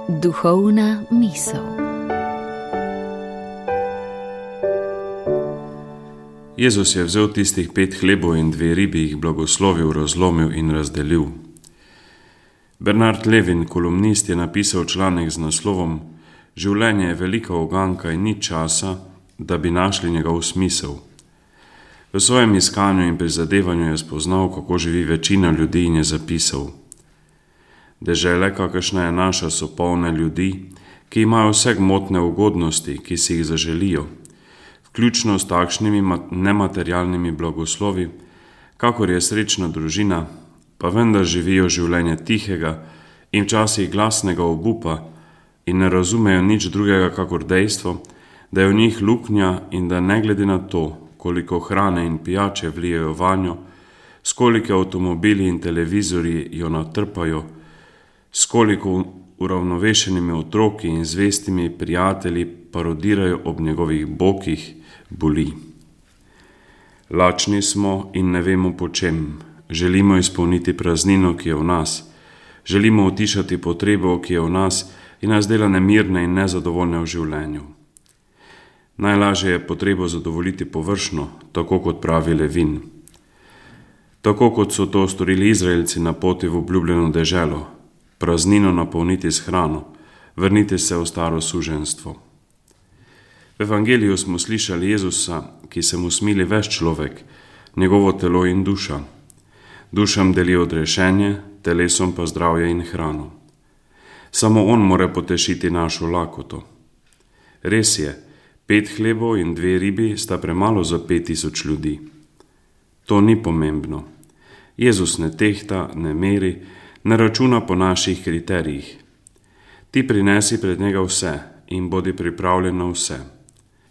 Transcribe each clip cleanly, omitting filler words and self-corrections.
Duhovna misel. Jezus je vzel tistih 5 hlebov in 2 ribi, jih blagoslovil, razlomil in razdelil. Bernard Levin, kolumnist, je napisal članek z naslovom Življenje je velika uganka in ni časa, da bi našli njegov smisel. V svojem iskanju in prizadevanju je spoznal, kako živi večina ljudi, in je zapisal: Dežele, kakršna je naša, so polne ljudi, ki imajo vse gmotne ugodnosti, ki si jih zaželijo, vključno s takšnimi nematerialnimi blagoslovi, kakor je srečna družina, pa vendar živijo življenje tihega in včasih glasnega obupa in ne razumejo nič drugega kakor dejstvo, da je v njih luknja in da ne glede na to, koliko hrane in pijače vlijejo vanjo, s koliko avtomobili in televizorji jo natrpajo, s koliko uravnovešenimi otroki in zvestimi prijatelji parodirajo ob njegovih bokih, boli. Lačni smo in ne vemo po čem. Želimo izpolniti praznino, ki je v nas. Želimo utišati potrebo, ki je v nas in nas dela nemirne in nezadovoljne v življenju. Najlažje je potrebo zadovoljiti površno, tako kot pravi Levin. Tako kot so to storili Izraelci na poti v obljubljeno deželo, praznino napolniti s hrano, vrniti se v staro suženjstvo. V Evangeliju smo slišali Jezusa, ki se mu smili ves človek, njegovo telo in duša. Dušam deli odrešenje, telesom pa zdravje in hrano. Samo on more potešiti našo lakoto. Res je, 5 hlebov in 2 ribi sta premalo za 5000 ljudi. To ni pomembno. Jezus ne tehta, ne meri, ne računa po naših kriterijih. Ti prinesi pred njega vse in bodi pripravljen na vse.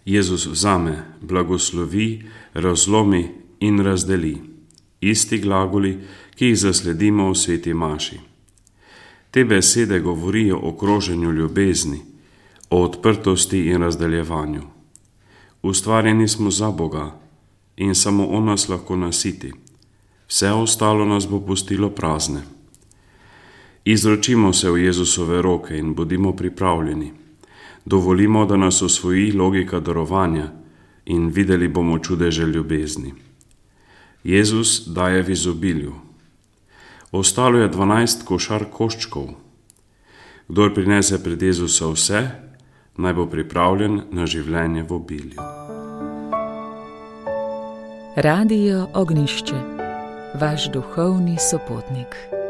Jezus vzame, blagoslovi, razlomi in razdeli. Isti glagoli, ki jih zasledimo v sveti maši. Te besede govorijo o kroženju ljubezni, o odprtosti in razdeljevanju. Ustvarjeni smo za Boga in samo on nas lahko nasiti. Vse ostalo nas bo pustilo prazne. Izročimo se v Jezusove roke in bodimo pripravljeni. Dovolimo, da nas osvoji logika darovanja in videli bomo čudeže ljubezni. Jezus daje v izobilju. Ostalo je 12 košar koščkov. Kdor prinese pred Jezusa vse, naj bo pripravljen na življenje v obilju. Radio Ognjišče, vaš duhovni sopotnik.